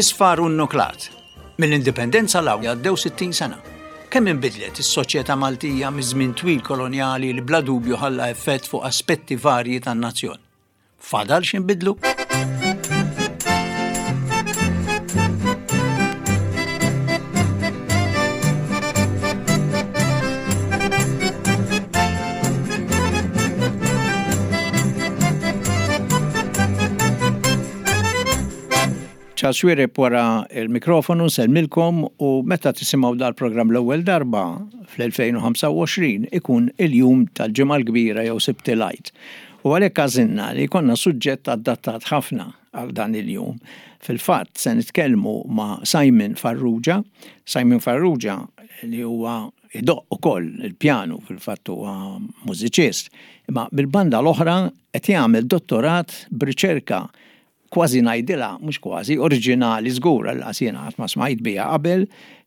Isfar u nnuklat. Mill-Indipendenza 'l hawn għaddew 60 sena. Kemm inbidlet is-soċjetà Maltija miż-żmien twil kolonjali li bla dubju ħalla effett fuq aspetti varji tan-nazzjon. Fadal x'inbidlu? Charles Xuereb wara l-mikrofonu nsellmilkom u meta tisimgħu dal-programm l-ewwel darba fl-2025 ikun il-jum tal-Ġimgħa l-Kbira jew Sibt il-Għid. U għalhekk għażilna li jkollna suġġett adattat ħafna għal dan il-jum. Fil-fatt se nitkellmu ma' Simon Farrugia. Simon Farrugia li huwa idoqq ukoll il-pjanu, fil-fatt huwa mużiċist, imma mill-banda l-oħra qed jagħmel dottorat b'riċerka kważi ngħidilha, mhux kważi, oriġinali żgur għall-qas jiena qatt ma smajt biha qabel,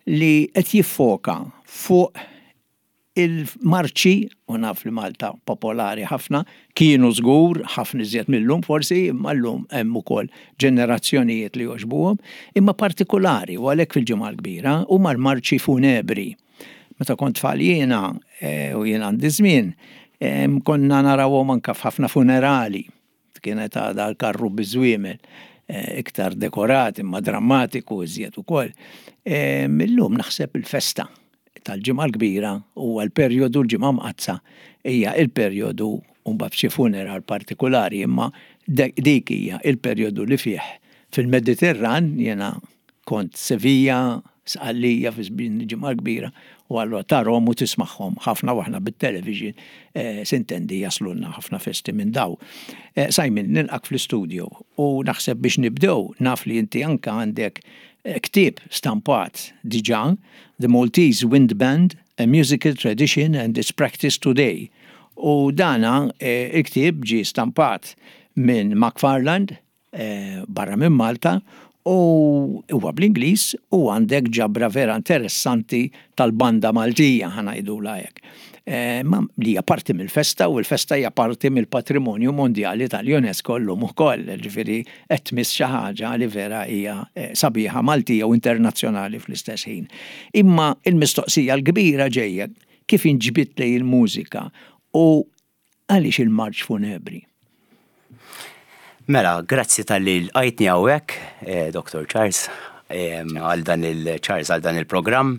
li qed jiffoka fuq il-marċi, u naf li Malta popolari ħafna, kienu żgur, ħafna iżjed mil-lum forsi, imma llum hemm ukoll ġenerazzjonijiet li jogħġbuhom, imma partikulari u għalhekk fil-Ġimgħa l-Kbira, huma l-marċi funebri. Meta kont tfal jiena, u jien għandi żmien, konna narawhom anke f'ħafna funerali. Kienet għadha l-karru biż-żwiemel, iktar dekorat imma drammatiku iżjed ukoll. Illum naħseb il-festa tal-Ġimgħa l-Kbira huwa l-perjodu l-Ġimgħa Mqaddsa hija l-perjodu u mbagħad f'xi funeral partikulari imma dik hija l-perjodu li fih fil-Mediterran jiena Kont Sevilla, Sqallija fi żmien il-Ġimgħa l-Kbira u allura tarhom u tismagħhom ħafna u aħna bit-television sintendi jaslulna ħafna festi minn daw. Simon, nilqgħek fl-istudio u naħseb biex nibdew naf li inti anke għandek ktieb stampat diġà, The Maltese Wind Band, A Musical Tradition and Its Practice Today. U dana il-ktieb ġie stampat minn Macfarland, barra minn Malta u huwa bl-Ingliż u għandek ġabra vera interessanti tal-banda Maltija ħa ngħidulha hekk. Ma li hija parti mill-festa u l-festa hija parti mill-patrimonju mondjali tal-UNESCO llum ukoll, ġifieri qed tmiss xi ħaġa li vera hija sabiħa Maltija u internazzjonali fl-istess ħin. Imma l-mistoqsija l-kbira ġejja kif inġbidt lejn il-mużika u Għaliex il-marċ funebri? Mela, grazzi talli lqajtni hawnhekk, Dottor Charles, għal dan il Charles għal dan il-programm,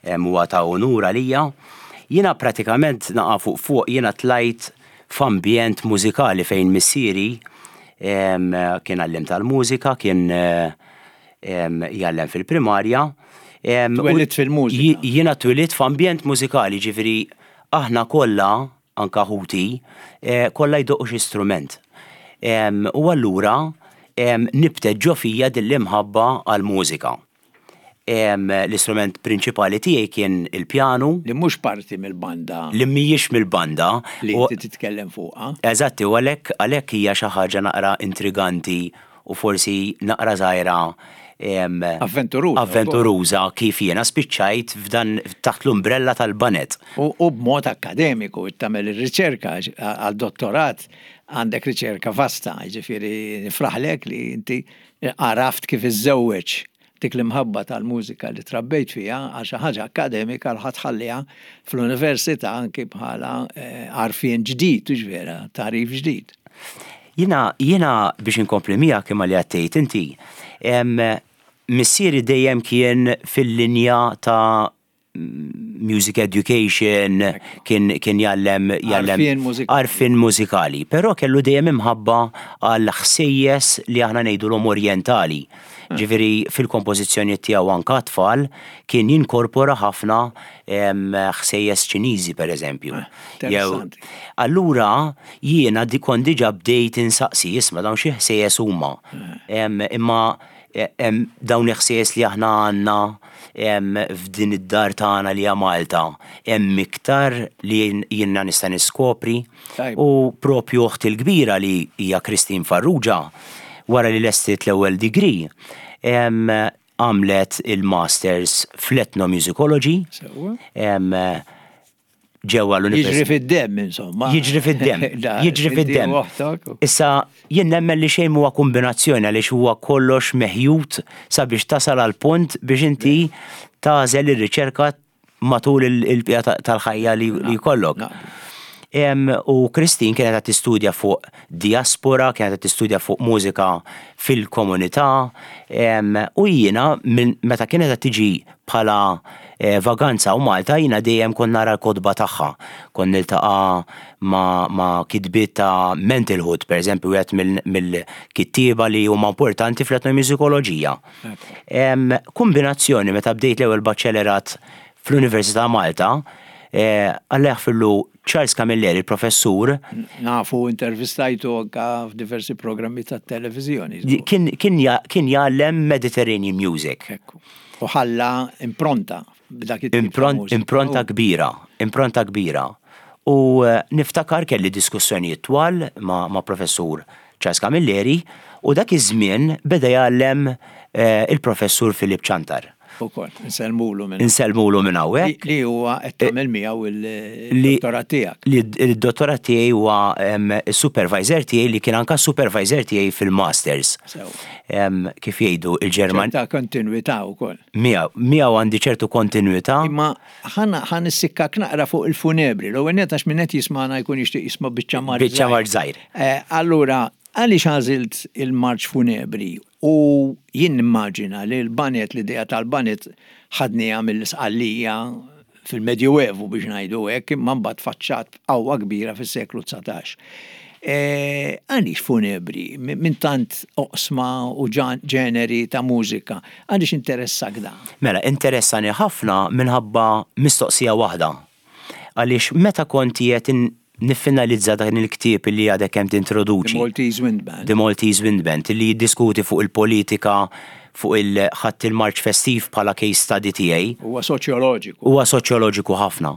huwa ta' unur għalija. Jiena pratikament naqa' fuq fuq jiena tlajt f'ambjent mużikali fejn missieri kien għalliem tal-mużika, kien jgħallem fil-primarja. Twelidt fil-mużika? Jiena twelidt f'ambjent mużikali, ġifieri aħna kollha anke ħuti, kollha jdoqqu xi strument. U allura nibtet ġo fija din l-imħabba għall-mużika. L-istrument prinċipali tiegħi kien il-pjanu. Li mhux parti mill-banda. Li mhijiex mill-banda. Li inti titkellem fuqha. Eżatt, u għalhekk għalhekk hija xi ħaġa naqra intriganti u forsi naqra żgħira Avventuruża. Avventuruża kif jiena spiċċajt f'dan taħt l-umbrella tal-banet. U b'mod akkademiku tagħmel ir-riċerka għal dottorat għandek riċerka vasta, jiġifieri nifraħlek li inti għaraft kif iżżewweġ dik l-imħabba tal-mużika li trabbejt fiha għal xi ħaġa akkademika li ħa tħalliha fl-università anki bħala għarfien ġdid, hux vera, tagħrif ġdid. Jiena, jiena biex inkompli miegħek imma li qed tgħid inti, missieri dejjem kien fil-linja ta' music education, kien kien jgħallem jgħallem għarfien mużikali, però kellu dejjem imħabba għal ħsejjes li aħna ngħidulhom orjentali. Ġifieri fil-kompożizzjonijiet tiegħu anke għat-tfal kien jinkorpora ħafna ħsejjes Ċiniżi pereżempju. Allura jiena kont diġà bdejt insaqsi, isma' dawn xi ħsejjes huma. Imma dawn il-ħsejjes li aħna għandna f'din id-dar tagħna li hija Malta, hemm iktar li jiena nista' niskopri. U propju oħti l-kbira li hija Christine Farrugia, wara li lestiet l-ewwel degree, għamlet il-masters fl-ethnomusicology. ġewwa l-università. Jiġri fid-demm, insomma. Jiġri fid-demm. Jiġri fid-demm. Issa, jien nemmen li xejn huwa kombinazzjoni għaliex huwa kollox meħjut sabiex tasal għal punt biex inti tagħżel ir-riċerka matul il-bqija tal-ħajja li jkollok. U Christine kienet qed tistudja fuq diaspora, kienet qed tistudja fuq mużika fil-komunità, u jiena meta kienet qed tiġi bħala vaganza u Malta jiena dejjem kont nara l-kotba tagħha. Kont niltaqa' ma' kitbiet ta' Mentalhood, pereżempju, wieħed mill-kittieba li huma importanti fl-etnomużikoloġija. Kombinazzjoni meta bdejt l-ewwel baċċelerat fl-Università Malta, Alla jaħfirlu Charles Camilleri, il-professur. Nafu intervistajtu anka f'diversi programmi tat-televiżjoni. Kien jgħallem Mediterranean music. Ekku. U ħalla impronta b'dak it-tip ta' mużika. Impronta kbira, impronta kbira. U niftakar kelli diskussjonijiet twal ma' professur Charles Camilleri, u dak iż-żmien beda jgħallem il-Professur Philip Ciantar. Ukoll, insellmulu minn. Insellmulu minn hawnhekk. Li huwa qed tagħmel miegħu il-dottorat tiegħek. Li d-dottorat tiegħi huwa s-supervisor tiegħi li kien anke s-supervisor tiegħi fil-masters. Sew. Kif jgħidu il-Ġerman. Ċerta kontinwità wkoll. Miegħu, miegħu għandi ċertu kontinwità. Imma ħa nissikkak naqra fuq il-funebri. L-ewwel nett għax min qed jismagħna jkun jixtieq jisma' biċċa marġ. Biċċa marġ żgħir. Allura, għaliex għażilt il-marċ funebri? U jien nimmaġina li l-baned, l-idea tal-baned ħadniha mill-Isqallija fil-Medjuevu biex ngħidu hekk, imma mbagħad tfaċċat b'qawwa kbira fis-seklu 19. Għaliex funebri? Minn tant oqsma u ġeneri ta' mużika, għaliex interessak dan? Mela, interessani ħafna minħabba mistoqsija waħda. Għaliex meta kont qiegħed niffinalizza dan il-ktieb li għadek kemm tintroduċi. The Maltese Wind Band. The Maltese Wind Band, li jiddiskuti fuq il-politika, fuq il ħadd il-marċ festiv bħala case study tiegħi. Huwa soċjoloġiku. Huwa soċjoloġiku ħafna.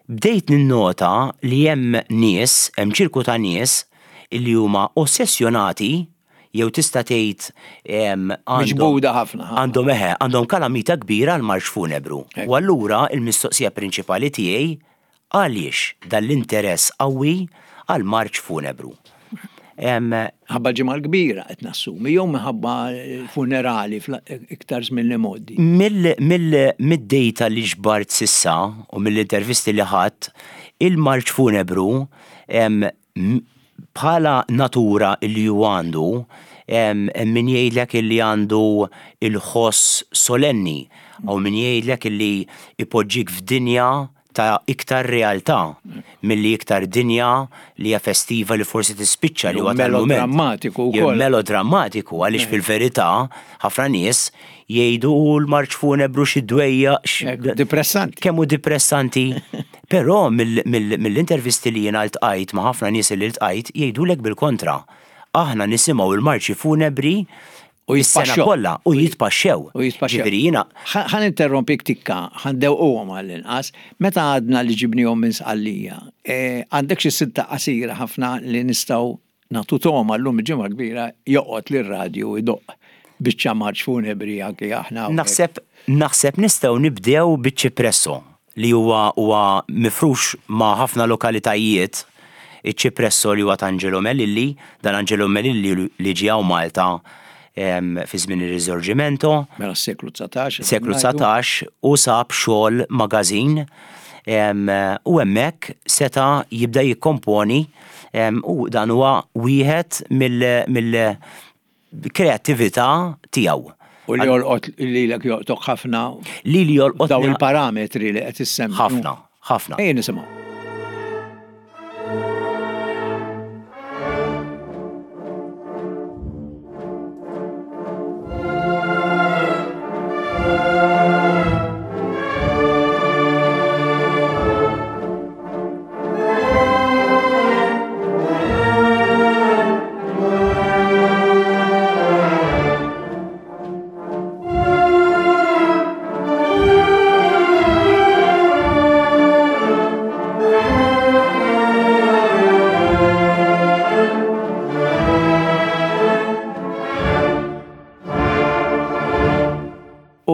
Bdejt ninnota li hemm nies, hemm ċirku ta' nies li huma ossessjonati jew tista' tgħid għandhom. Miġbuda ħafna. Għandhom eħe, għandhom kalamita kbira għall-marċ funebru. U allura l-mistoqsija prinċipali tiegħi Għaliex dan l-interess qawwi għall-marċ funebru? Minħabba l-Ġimgħa l-Kbira qed nassumi jew minħabba funerali iktar żmien l-imgħoddi? Mid-data li ġbart s'issa u mill-intervisti li ħadt, il-marċ funebru bħala natura li hu għandu, hemm min jgħidlek illi għandu l-ħoss solenni, hawn min jgħidlek illi jpoġġik f'dinja ta' iktar realtà milli iktar dinja li hija festiva li forsi tispiċċa li huwa tal-mument. Melodrammatiku wkoll. Melodrammatiku għaliex fil-verità ħafna nies jgħidu u l-marċ funebru xi dwejjaq. Depressanti. Kemm hu depressanti. Però mill-intervisti li jiena ltqajt ma' ħafna nies li ltqajt jgħidulek bil-kontra. Aħna nisimgħu l-marċi funebri U Is-sena jitpaxxew. kollha u jitpaxxew. U jitpaxxew. Ġifieri jiena. Ħa ninterrompik tikka, ħa ndewquhom għall-inqas. Meta għadna li ġibnihom minn Sqallija, għandek xi silta qasira ħafna li nistgħu nagħtu togħma llum il-Ġimgħa l-Kbira joqgħod li r-radju jdoqq biċċa marċ funebri anki aħna hawnhekk. Naħseb naħseb nistgħu nibdew biċ-Ċipresso. li huwa huwa mifrux ma' ħafna lokalitajiet, iċ-Ċipresso li huwa ta' Angelo Melilli, dan Angelo Melilli li ġie hawn Malta fi żmien ir-Risorgimento. Mela s-seklu 19. Seklu 19 u sab xogħol magażin u hemmhekk seta' jibda jikkomponi u dan huwa wieħed mill kreattività tiegħu. U li jolqot lilek jolqtok ħafna. Lili jolqot. Dawn il-parametri li qed issemmi. Ħafna, ħafna. Ejja nisimgħu.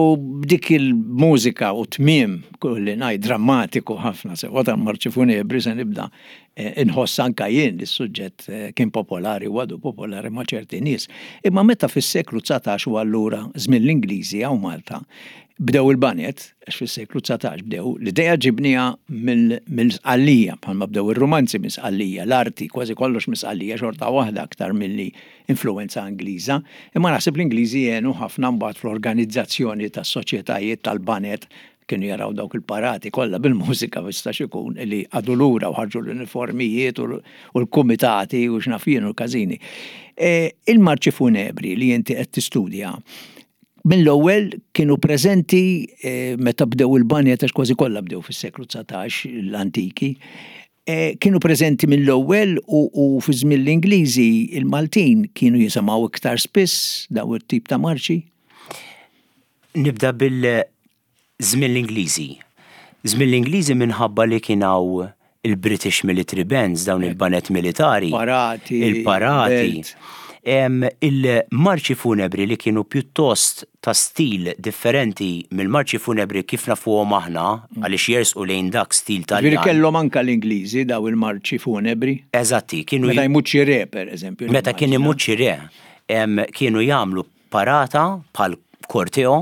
U b'dik il-mużika u tmiem Kolli ngħid drammatiku ħafna sewwa tal-marċi funebri se nibda eh, inħoss anka jien li s-suġġett eh, kien popolari u għadu popolari ma' ċerti nies. Imma meta fis-seklu 19 u allura żmien l-Ingliżi hawn Malta bdew il-banet, għax fis-seklu 19 bdew, l-idea ġibniha mill-Sqallija, bħalma bdew ir-rumanzi minn Sqallija, l-arti, kważi kollox minn Sqallija xorta waħda aktar milli influwenza Ingliża, imma naħseb l-Ingliżi għenu ħafna mbagħad fl-organizzazzjoni tas-soċjetajiet tal-baned, kienu jaraw dawk il-parati kollha bil-mużika ma jistax ikun li qagħdu lura u ħarġu l-uniformijiet u l-kumitati u x'naf jien u l-każini. E, il-marċi funebri li inti qed tistudja mill-ewwel kienu preżenti e, meta bdew il-banjet għax kważi kollha bdew fis-seklu 19 l-antiki. Kienu preżenti mill-ewwel u fi żmien l-Ingliżi il-Maltin kienu jisimgħu iktar spiss daw it-tip ta' marċi? Nibda bil-żmien l-Ingliżi. Żmien l-Ingliżi minħabba li kien hawn il-British Military Bands, dawn il-baned militari. Parati. Il-parati. Il-marċi funebri li kienu pjuttost ta' stil differenti mill-marċi funebri kif nafuhom aħna, għaliex jersqu lejn dak stil Taljan. Ġifieri kellhom anke l-Ingliżi daw il-marċi funebri? Eżatti, kienu. Meta jmut xi re, per eżempju. Meta kien imut xi re, kienu jagħmlu parata bħal korteo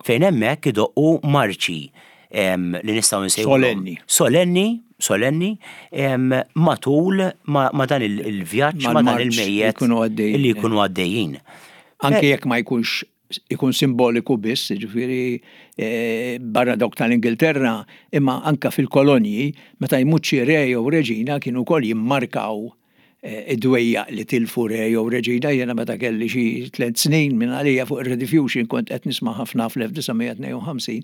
fejn hemmhekk idoqqu marċi li nistgħu nsejħu. Solenni. Solenni, solenni, matul ma' dan il-vjaġġ, ma' dan il-mejjet li jkunu għaddejjin. Anke jekk ma jkunx ikun simboliku biss, jiġifieri eh, barra dawk tal-Ingilterra, imma anka fil-kolonji, meta jmut xi re jew reġina kienu wkoll jimmarkaw eh, id-dwejjaq li tilfu re jew reġina jiena meta kelli xi tliet snin minn għalija fuq ir-Rediffusion kont qed nisma' ħafna fl-1952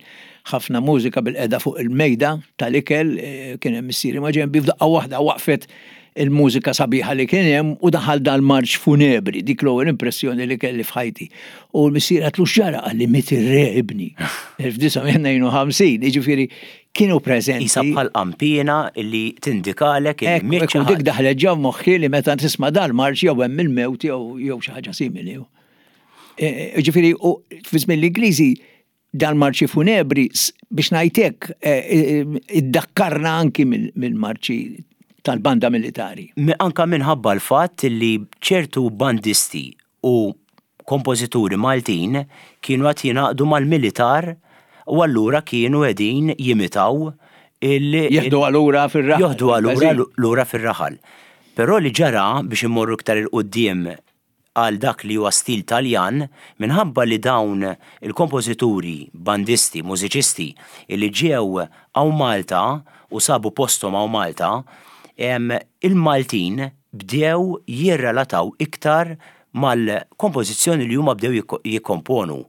ħafna mużika bil-qeda fuq il-mejda tal-ikel eh, kien hemm missieri ma' ġenbi f'daqqa waħda waqfet il-mużika sabiħa li kien hemm u daħal dal-marċ funebri, dik l-ewwel impressjoni li kelli f'ħajti. U l-missier għatlu x'ġara qalli miet ir-re ibni. 1952, jiġifieri kienu preżenti. Isa bħal qanpiena li tindikalek il-miet. Ekku dik daħlet ġo moħħi li meta tisma' dal-marċ jew hemm il-mewt jew xi ħaġa simili. E, e, jiġifieri fi żmien l-Ingliżi Dal-marċi funebri, biex ngħid hekk, iddakkarna anki mill-marċi tal-banda militari. Anka minħabba l-fatt li ċertu bandisti u kompożituri Maltin kienu qed jingħaqdu mal-militar u allura kienu qegħdin jimitaw il- Jeħduha lura fir-raħal. Joħduha lura lura fir-raħal. Però li ġara biex immorru iktar 'il quddiem għal dak li huwa stil Taljan minħabba li dawn il-kompożituri, bandisti, mużiċisti li ġew hawn Malta u sabu posthom hawn Malta, il-Maltin bdew jirrelataw iktar mal-kompożizzjoni li huma bdew jikkomponu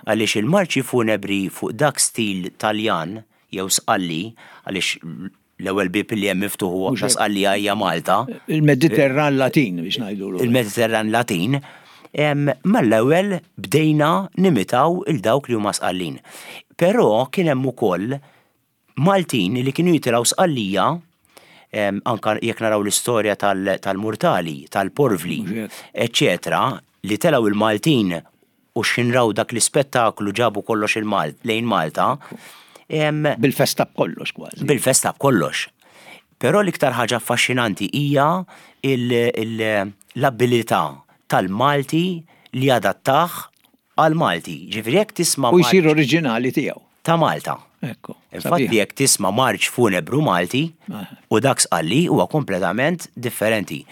għaliex il-marċi funebri fuq dak stil Taljan jew Sqalli għaliex L-ewwel bieb li hemm miftuħ huwa ta' Sqallija hija Malta. Il-Mediterran Latin biex ngħidulu. Il-Mediterran Latin. Mal-ewwel bdejna nimitaw il dawk li huma Sqallin. Però kien hemm ukoll Maltin li kienu jitilgħu Sqallija anka jekk naraw l-istorja tal-Murtali, tal-Porvli, eċċetera, li telgħu il-Maltin U x'ħin raw dak l-ispettaklu ġabu kollox lejn Malta. Bil-festa b'kollox kważi. Bil-festa b'kollox. Però l-iktar ħaġa affaxxinanti hija l-abilità tal-Malti li jadattah għall-Malti. Ġifieri jekk tisma' U jsir oriġinali tiegħu. Ta' Malta. Ekku. Infatti jekk tisma' marċ funebru Malti u dak Sqalli huwa kompletament differenti.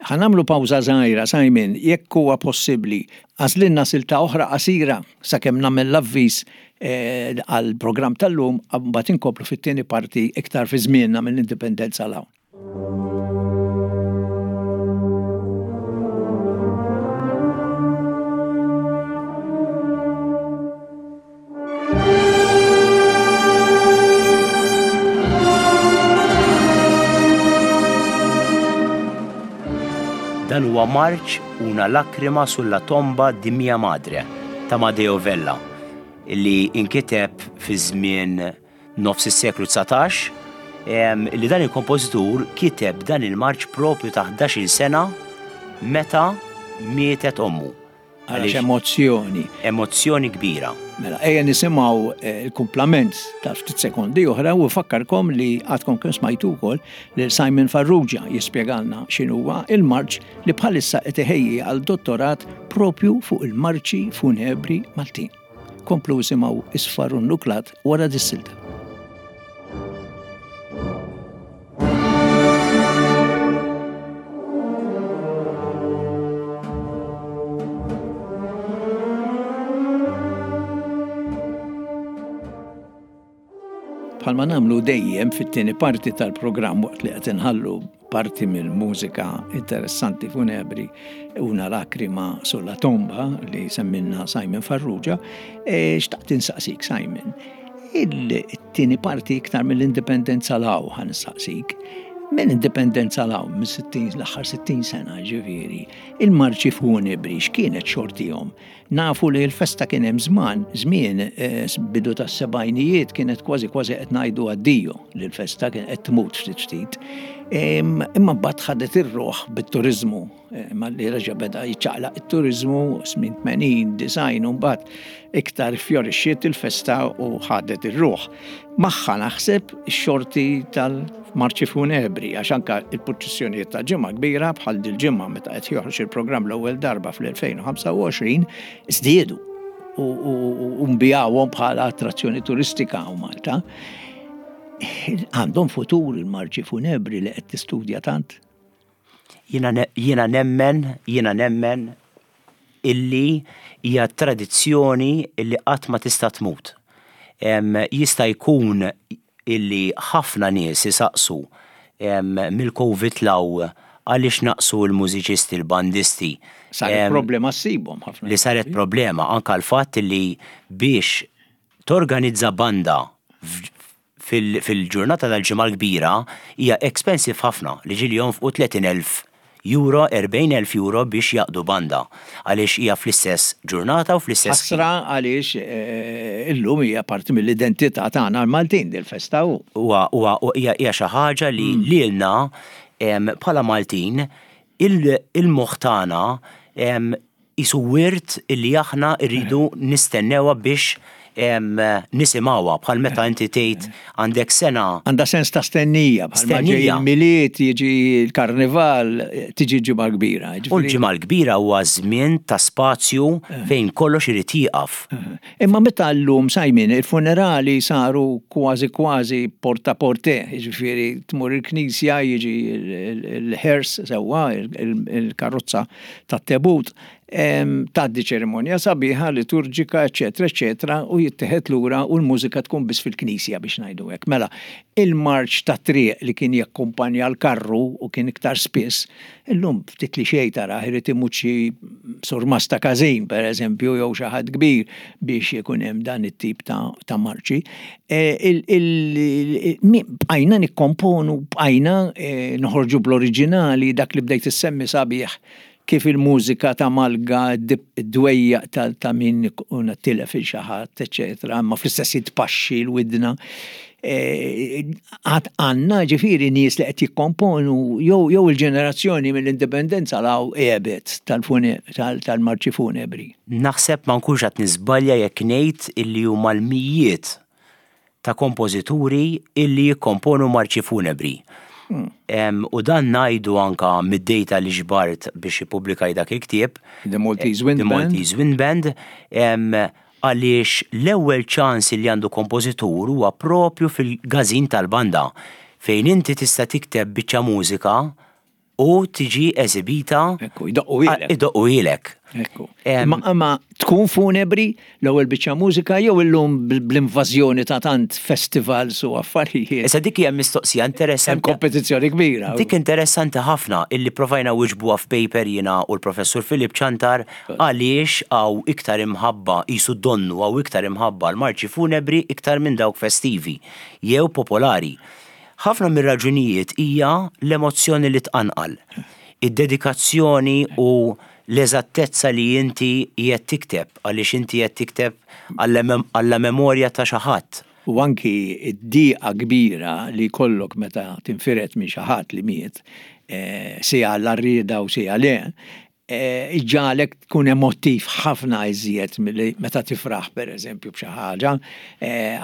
Ħa nagħmlu pawża żgħira, Simon, jekk huwa possibbli, għażlilna silta oħra qasira sakemm nagħmel l-avviż għall-programm tal-lum, mbagħad inkomplu fit-tieni parti iktar fi żmienna mill-Indipendenza 'l hawn. Dan huwa marċ Una lacrima sulla tomba di mia madre ta' Amadeo Vella li inkiteb fi żmien nofs is-seklu 19 li dan il-kompożitur kiteb dan il-marċ propju ta' 11-il sena meta mietet ommu. Għaliex emozzjoni. Emozzjoni kbira. Mela, ejja nisimgħu eh, l-kumplament ta' ftit sekondi oħra u fakkarkom li għadkom kemm smajtu wkoll lil Simon Farrugia jispjegalna x'inhuwa il-marċ li bħalissa qed iħejji għal dottorat propju fuq il-marċi funebri Maltin. Komplu isimgħu isfar u nuklat wara dis-silta. Bħalma nagħmlu dejjem fit-tieni parti tal-programm waqt li qed inħallu parti mill-mużika interessanti funebri una lakrima sulla tomba li semmilna Simon Farrugia, e, xtaqt insaqsik Simon. Il-tieni parti iktar mill-indipendenza law ħan insaqsik. Mill-indipendenza law, mill-60 l-aħħar 60 sena ġifieri, il-marċi funebri x'kienet xortihom? Nafu li l-festa kien hemm żman, żmien eh, bidu tas-sebgħinijiet kienet kważi kważi qed ngħidu addio li l-festa kien qed tmut ftit ftit. Imma mbagħad ħadet ir-ruħ bit-turiżmu, eh, malli reġa' beda jiċċaqlaq it-turiżmu snin 80, design u mbagħad iktar fjorixxiet il-festa u ħadet ir-ruħ. Magħha naħseb ix-xorti tal-marċi funebri għax anke il-purċissjonijiet ta' Ġimgħa Kbira bħal dil-ġimgħa meta qed joħroġ il-programm l-ewwel darba fl-2025 żdiedu u nbigħuhom bħala attrazzjoni turistika hawn Malta. Għandhom futur il-marċi funebri li qed tistudja tant? Jiena nemmen, jiena nemmen illi hija tradizzjoni illi qatt ma tista' tmut. Jista' jkun illi ħafna nies isaqsu mill-Covid 'l hawn għaliex naqsu l-mużiċisti, l-bandisti. Saret problema ssibhom ħafna. Li saret problema anke l-fatt illi biex torganizza banda fil-ġurnata tal-Ġimgħa l-Kbira hija expensive ħafna li ġieli jonfqu 30,000 euro, 40,000 euro biex jgħaqqdu banda għaliex hija fl-istess ġurnata u fl-istess ħin. Ħasra għaliex illum hija parti mill-identità tagħna l-Maltin dil-festa u. Huwa huwa hija hija xi ħaġa li lilna bħala Maltin il-moħħ tagħna Qisu wirt illi aħna rridu nistennewha biex nisimgħuha, bħal meta inti tgħid għandek sena. Għandha sens ta' stennija, bħal ma ġej il-Milied, jiġi l-Karnival, tiġi l-Ġimgħa l-Kbira. U l-Ġimgħa l-Kbira huwa żmien ta' spazju fejn kollox irid jieqaf. Imma meta llum, Simon, il-funerali saru kważi kważi porte à porte, jiġifieri tmur il-knisja, jiġi l-hearse sewwa, il-karozza tat-tebut, tgħaddi ċerimonja sabiħa, liturġika, eċċetera, eċċetera, u jittieħed lura u l-mużika tkun biss fil-knisja biex ngħidu hekk. Mela, il-marċ tat-triq li kien jakkumpanja l-karru u kien iktar spiss, Illum ftit li xejn tarah irid imut xi surmast ta' każin, per eżempju, jew xi ħadd kbir biex ikun hemm dan it-tip ta' marċi. Bqajna nikkomponu, bqajna noħorġu bl-oriġinali, dak li bdejt issemmi sabiħ kif il-mużika ta' Malga, id-dwejjaq ta' min ikun tilef il xi ħadd, eċċetera, imma fl-istess ħin tpaxxi l-widna. Għad għandna ġifieri nies li qed jikkomponu jew jew il-ġenerazzjoni mill-indipendenza 'l hawn għebet tal-marċi funebri. Naħseb ma nkunx qed niżbalja jekk ngħid illi huma l-mijiet ta' kompożituri illi jikkomponu marċi funebri. U dan ngħidu anka mid-data li ġbart biex ippubblikaj dak il-ktieb. The Maltese Wind Band. The Maltese Wind Band. Għaliex l-ewwel ċans li għandu kompożitur huwa propju fil-każin tal-banda fejn inti tista' tikteb biċċa mużika u tiġi esibita. Ekku, jdoqquhielek. Jdoqquhielek. Ekku. Imma tkun funebri l-ewwel biċċa mużika jew illum bl-invażjoni ta' tant festivals u affarijiet. Issa dik hija mistoqsija interessanti. Hemm kompetizzjoni kbira. Dik interessanti ħafna illi provajna wiġbuha f'paper jiena u l-Professur Philip Ciantar Għaliex hawn iktar imħabba, qisu donnu hawn iktar imħabba għal marċi funebri iktar minn dawk festivi, jew popolari? Ħafna mir-raġunijiet hija l-emozzjoni li tqanqal, id-dedikazzjoni u l-eżattezza li inti qiegħed tikteb, għaliex inti qiegħed tikteb għall memorja ta' xi ħadd. U anki d-dieqa kbira li jkollok meta tinfired minn xi ħadd li miet, sija għall-għarrieda u sija le. Iġġagħlek tkun emottiv ħafna iżjed milli meta tifraħ pereżempju b'xi ħaġa,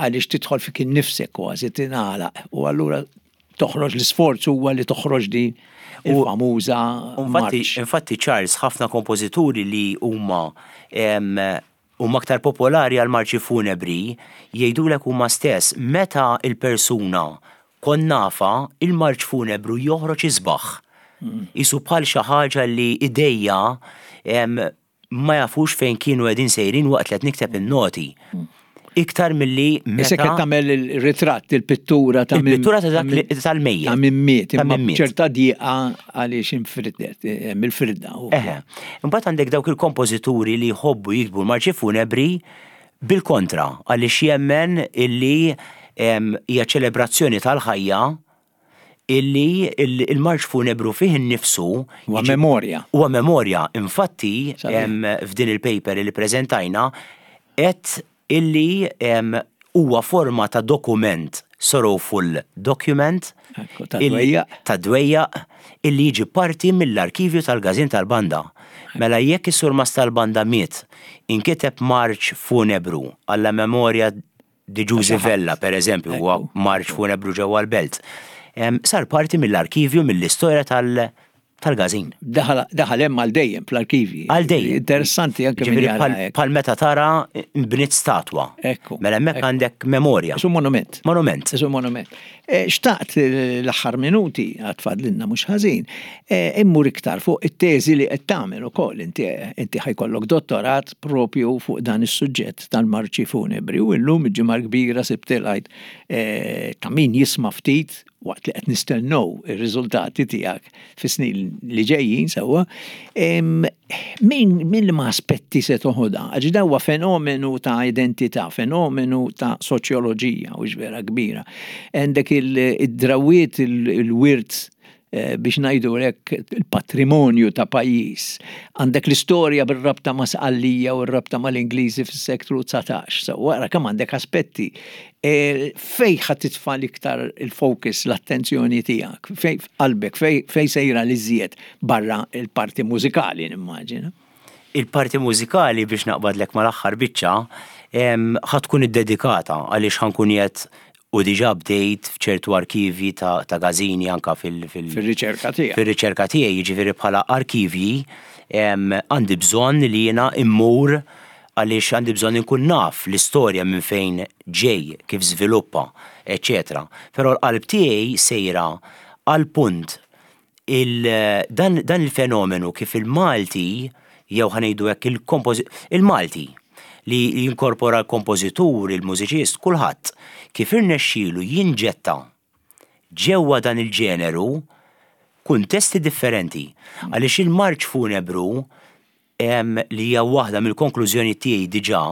għaliex tidħol fik innifsek kważi tingħalaq u allura toħroġ l-isforz huwa li toħroġ din il-famuża marċ. Infatti Charles ħafna kompożituri li huma huma aktar popolari għal marċi funebri jgħidulek huma stess meta l-persuna kont nafha il-marċ funebru joħroġ isbaħ. Qisu bħal xi ħaġa li idejja ma jafux fejn kienu qegħdin sejrin waqt li qed nikteb in-noti. Iktar milli meta. Isek qed tagħmel il-ritratt, il-pittura ta' min. Il-pittura ta' dak tal-mejjet. Ta' min miet, imma ċerta dieqa għaliex infriddet, hemm il-firda. Eħe. Imbagħad għandek dawk il-kompożituri li jħobbu jiktbu l-marċi funebri bil-kontra għaliex jemmen illi hija ċelebrazzjoni tal-ħajja illi il-marċ funebru fih innifsu Huwa memorja. Huwa memorja. Infatti, f'din il-paper li ppreżentajna għedt illi huwa forma ta' dokument, sorrowful document, ta' dwejjaq, illi jiġi parti mill-arkivju tal-Każin tal-Banda. Mela jekk is-surmast tal-banda miet, inkiteb marċ funebru alla memoria di Ġużi Vella, per eżempju, huwa marċ funebru ġewwa l-Belt. Sar parti mill-arkivju mill-istorja tal- tal-każin. Daħal hemm għal dejjem fl-arkivji. Għal dejjem. Interessanti anke min jara hekk. Bħal meta tara nbniet statwa. Ekku. Mela hemmhekk għandek memorja. Isu monument. Monument. Isu monument. Eh, xtaqt l-aħħar minuti għad fadlilna mhux ħażin, eh, immur iktar fuq it-teżi li qed tagħmel ukoll inti inti ħajkollok dottorat propju fuq dan is-suġġett tal-marċi funebri u llum il-ġimgħa kbira Sibt il-Għid eh, ta' min jisma' ftit waqt li qed nistennew ir-riżultati tiegħek fis-snin li ġejjin sewwa, min min liema aspetti se toħodha? Għax dan huwa fenomenu ta' identità, fenomenu ta' soċjoloġija u vera kbira. Għandek id-drawwiet, il-wirt eh, biex ngħidu hekk il-patrimonju ta' pajjiż. Għandek l-istorja bir-rabta ma' Sqallija u r-rabta mal-Ingliżi fis-seklu 19. So, wara kemm għandek aspetti E, fej ħa titfa' l-iktar il-focus, l-attenzjoni tiegħek, fej qalbek, fej sejra li żjed barra il-parti mużikali nimmaġina. Il-parti mużikali biex naqbadlek mal-aħħar biċċa ħa tkun iddedikata għaliex ħa nkun qiegħed u diġà bdejt f'ċertu arkivji ta' ta' każini anka fil- Fir-riċerka tiegħek. Fir-riċerka tiegħi, jiġifieri bħala arkivji għandi bżonn li jiena immur għaliex għandi bżonn inkun naf l-istorja minn fejn ġej, kif żviluppa, eċċetera. Però l-qalb tiegħi sejra għall-punt il dan dan il-fenomenu kif il-Malti jew ħa ngħidu hekk il-kompożi il-Malti li jinkorpora l-kompożitur, il-mużiċist, kulħadd, kif irnexxielu jinġetta ġewwa dan il-ġeneru kuntesti differenti. Għaliex il-marċ funebru li hija waħda mill-konklużjonijiet tiegħi diġà,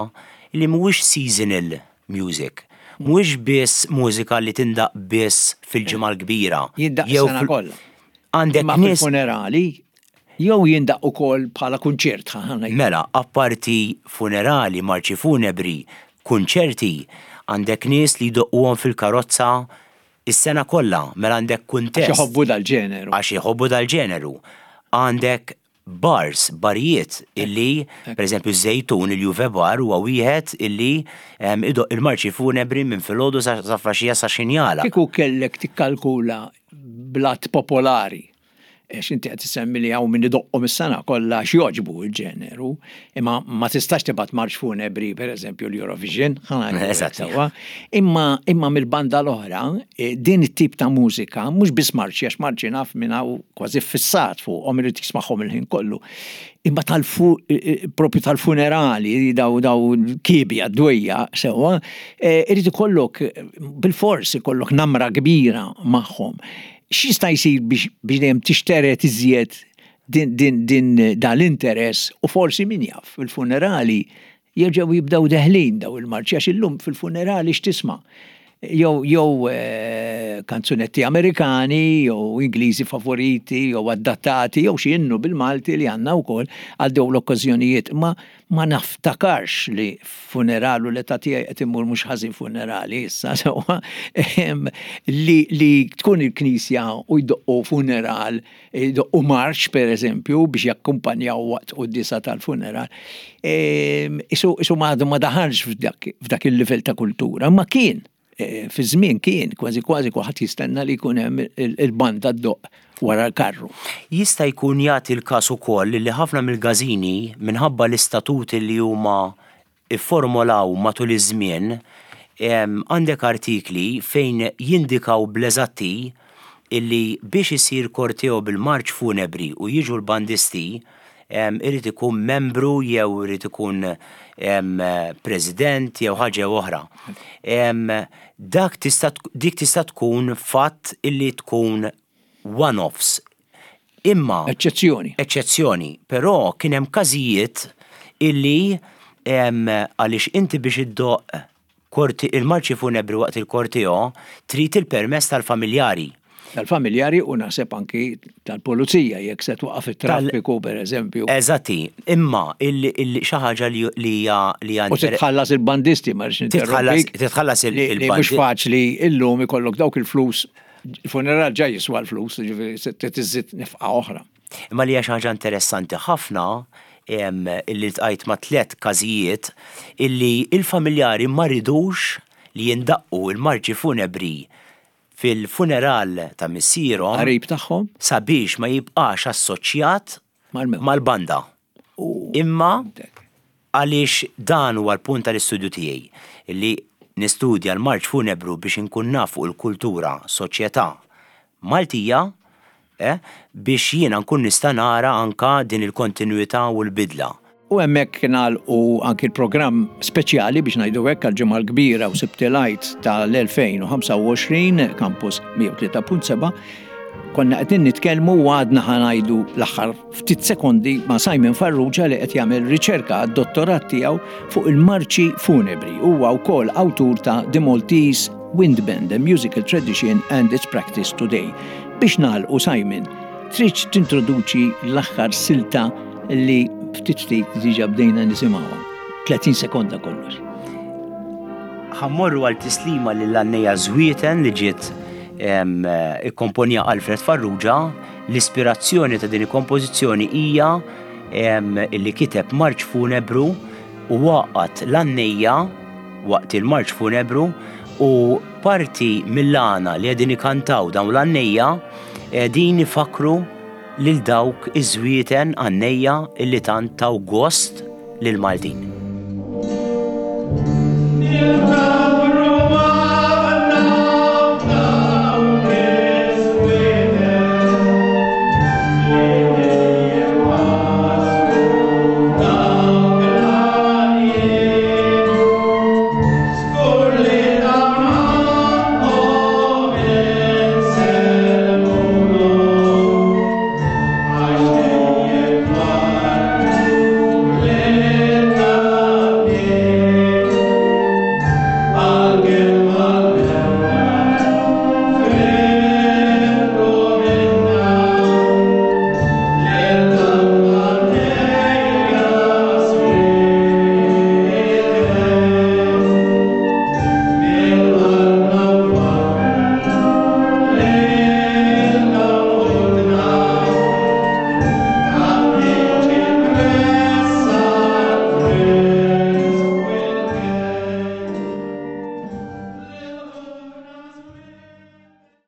li mhuwiex seasonal music. Mhuwiex biss mużika li tindaqq biss fil-Ġimgħa l-Kbira. Jindaqq is-sena kollha. Għandek Imma fil-funerali jew jindaqq ukoll bħala kunċert, ħa ngħid. Mela, apparti funerali, marċi funebri, kunċerti, għandek nies li jdoqquhom fil-karozza is-sena kollha, mela għandek kuntest. Għax iħobbu dal-ġeneru. Għax iħobbu dal-ġeneru. Għandek bars, barijiet illi, per eżempju, Żejtun, il-Juve Bar huwa wieħed illi idoqq il-marċi funebri minn filgħodu sa flaxija sa x'ħin jagħlaq. Kieku kellek tikkalkula bl-att popolari, għax inti qed issemmi li hawn min idoqqhom is-sena kollha għax jogħġbu l-ġeneru, imma ma tistax tibgħat marċ funebri, per eżempju, l-Eurovision, ħa ngħidu hekk sewwa. Imma imma mill-banda l-oħra, din it-tip ta' mużika, mhux biss marċi, għax marċi naf minn hawn kważi ffissat fuqhom irid jismagħhom il-ħin kollu. Imma tal-fu propju tal-funerali daw daw kibja dwejja sewwa, eh, irid ikollok bil-fors ikollok namra kbira magħhom. X'jista' jsir biex biex dejjem tixteret iżjed din din din dan l-interess u forsi min jaf fil-funerali jerġgħu jibdew deħlin daw il-marċi għax illum fil-funerali x'tisma'? Jew jew kanzunetti Amerikani jew Ingliżi favoriti jew adattati jew xi innu bil-Malti li għandna wkoll għal dawn l-okkażjonijiet. Ma ma naftakarx li f'funeral u l-età tiegħi qed immur mhux ħażin funerali issa sewwa li li tkun il-knisja u jdoqqu funeral Idoqqu marċ, per eżempju, biex jakkumpanjaw waqt quddiesa tal-funeral. Isu, isu ma ma daħalx f'dak il-livell ta' kultura, ma kien e, fi żmien kien kważi kważi kulħadd jistenna li jkun hemm il-banda ddoqq wara l-karru. Jista' jkun jagħti l-każ ukoll li ħafna mill-gażini minħabba l-istatuti li huma ifformolaw matul iż-żmien, għandek artikli fejn jindikaw bl-eżatti illi biex isir korteo bil-marċ funebri u jiġu l-bandisti irid ikun membru jew irid ikun president jew ħaġa jew oħra. Dak tista' dik tista' tkun fatt illi tkun one-offs Imma. Eċċezzjoni. Eċċezzjoni. Però kien hemm każijiet illi għaliex inti biex iddoqq korti il-marċi funebri waqt il-korteo trid il-permess tal-familjari. Tal-familjari u naħseb anki tal-pulizija jekk se twaqqaf it-traffiku pereżempju. Eżatti, imma xi ħaġa li hija li U titħallas il-bandisti ma rridx ninterrompik. Titħallas il-bandisti. Mhux faċli illum ikollok dawk il-flus Il-funeral ġa jiswa l-flus, ġifieri se tiżid nefqa oħra. Imma li hija xi ħaġa interessanti ħafna illi ltqajt ma' tlett każijiet illi il-familjari ma ridux li jindaqqu l-marċi funebri fil-funeral ta' missierhom. Qarib tagħhom. Sabiex ma jibqax assoċjat mal-banda. Imma għaliex dan huwa l-punt tal-istudju tiegħi, li nistudja l-marċ funebru biex inkun naf fuq il-kultura, soċjetà Maltija, eh, biex jiena nkun nista' nara anka din il-kontinwità u l-bidla. U hemmhekk nagħlqu anki l-programm speċjali biex ngħidu hekk għall-Ġimgħa l-Kbira u Sibt il-Għid tal-2025 Campus 103.7. Konna qegħdin nitkellmu u għadna ħa ngħidu l-aħħar ftit sekondi ma' Simon Farrugia li qed jagħmel riċerka għad-dottorat tiegħu fuq il-marċi funebri. Huwa wkoll awtur ta' The Maltese Wind Band, A Musical Tradition and Its Practice Today. Biex nagħlqu Simon, tridx tintroduċi l-aħħar silta li ftit ftit diġa bdejna nisimgħuha. 30 sekonda kollox. Ħa mmorru għal tislima lill-għannejja Żwieten li ġiet ikkomponja Alfred Farrugia. L-ispirazzjoni ta' din il-kompożizzjoni hija li kiteb marċ funebru u għaqqad l-għannejja waqt il-marċ funebru u parti mill-għana li qegħdin ikantaw dawn l-għannejja qegħdin ifakkru lil dawk iż-żwieten għannejja illi tant taw gost lill-Maltin.